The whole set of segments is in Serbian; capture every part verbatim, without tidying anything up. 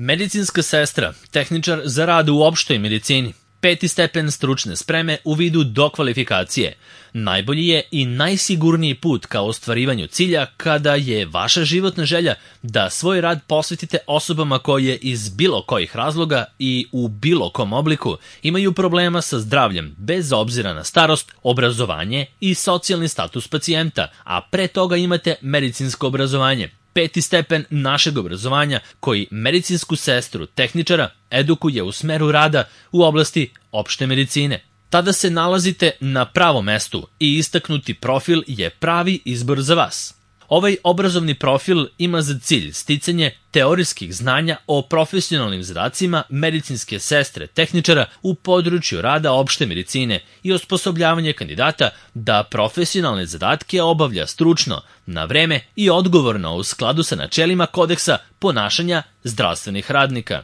Medicinska sestra, tehničar za rad u opštoj medicini, peti stepen stručne spreme u vidu dokvalifikacije. Najbolji je i najsigurniji put ka ostvarivanju cilja kada je vaša životna želja da svoj rad posvetite osobama koje iz bilo kojih razloga i u bilo kom obliku imaju problema sa zdravljem bez obzira na starost, obrazovanje i socijalni status pacijenta, a pre toga imate medicinsko obrazovanje. Peti stepen našeg obrazovanja koji medicinsku sestru, tehničara, edukuje u smeru rada u oblasti opšte medicine. Tada se nalazite na pravom mestu i istaknuti profil je pravi izbor za vas. Ovaj obrazovni profil ima za cilj sticanje teorijskih znanja o profesionalnim zadacima medicinske sestre, tehničara u području rada opšte medicine i osposobljavanje kandidata da profesionalne zadatke obavlja stručno, na vreme i odgovorno u skladu sa načelima kodeksa ponašanja zdravstvenih radnika.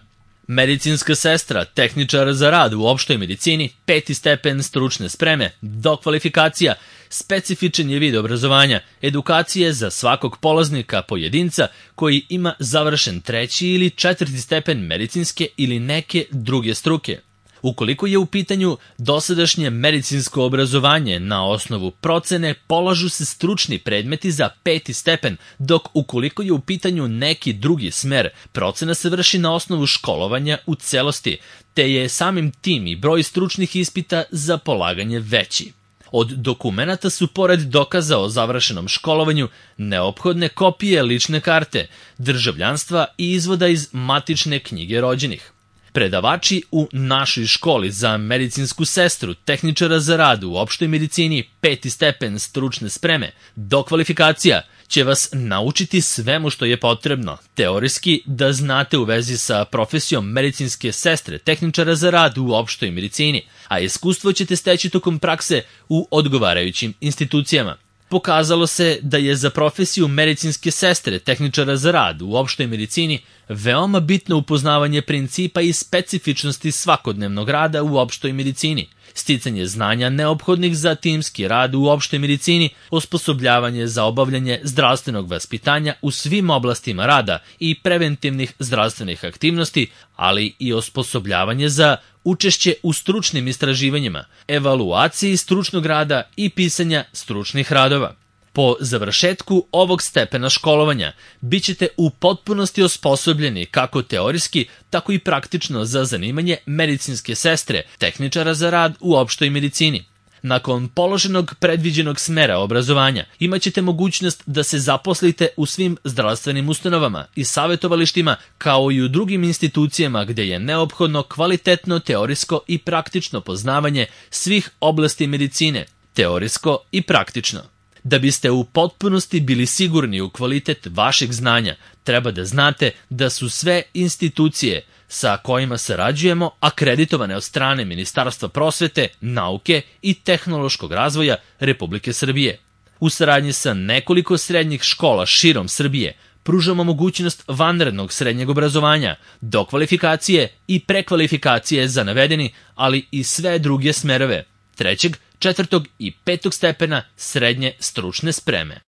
Medicinska sestra, tehničar za rad u opštoj medicini, peti stepen stručne spreme, dokvalifikacija, specifičan je vid obrazovanja, edukacije za svakog polaznika pojedinca koji ima završen treći ili četvrti stepen medicinske ili neke druge struke. Ukoliko je u pitanju dosadašnje medicinsko obrazovanje na osnovu procene, polažu se stručni predmeti za peti stepen, dok ukoliko je u pitanju neki drugi smer, procena se vrši na osnovu školovanja u celosti, te je samim tim i broj stručnih ispita za polaganje veći. Od dokumenata su, pored dokaza o završenom školovanju, neophodne kopije lične karte, državljanstva i izvoda iz matične knjige rođenih. Predavači u našoj školi za medicinsku sestru, tehničara za rad u opštoj medicini, peti stepen stručne spreme, dokvalifikacija, će vas naučiti svemu što je potrebno, teorijski da znate u vezi sa profesijom medicinske sestre, tehničara za rad u opštoj medicini, a iskustvo ćete steći tokom prakse u odgovarajućim institucijama. Pokazalo se da je za profesiju medicinske sestre, tehničara za rad u opštoj medicini veoma bitno upoznavanje principa i specifičnosti svakodnevnog rada u opštoj medicini, sticanje znanja neophodnih za timski rad u opštoj medicini, osposobljavanje za obavljanje zdravstvenog vaspitanja u svim oblastima rada i preventivnih zdravstvenih aktivnosti, ali i osposobljavanje za učešće u stručnim istraživanjima, evaluaciji stručnog rada i pisanja stručnih radova. Po završetku ovog stepena školovanja bit ćete u potpunosti osposobljeni kako teorijski, tako i praktično za zanimanje medicinske sestre, tehničara za rad u opštoj medicini. Nakon položenog predviđenog smera obrazovanja imaćete mogućnost da se zaposlite u svim zdravstvenim ustanovama i savjetovalištima kao i u drugim institucijama gde je neophodno kvalitetno teorijsko i praktično poznavanje svih oblasti medicine, teorijsko i praktično. Da biste u potpunosti bili sigurni u kvalitet vašeg znanja, treba da znate da su sve institucije sa kojima sarađujemo akreditovane od strane Ministarstva prosvete, nauke i tehnološkog razvoja Republike Srbije. U saradnji sa nekoliko srednjih škola širom Srbije pružamo mogućnost vanrednog srednjeg obrazovanja, dokvalifikacije i prekvalifikacije za navedeni, ali i sve druge smerove, trećeg, četvrtog i petog stepena srednje stručne spreme.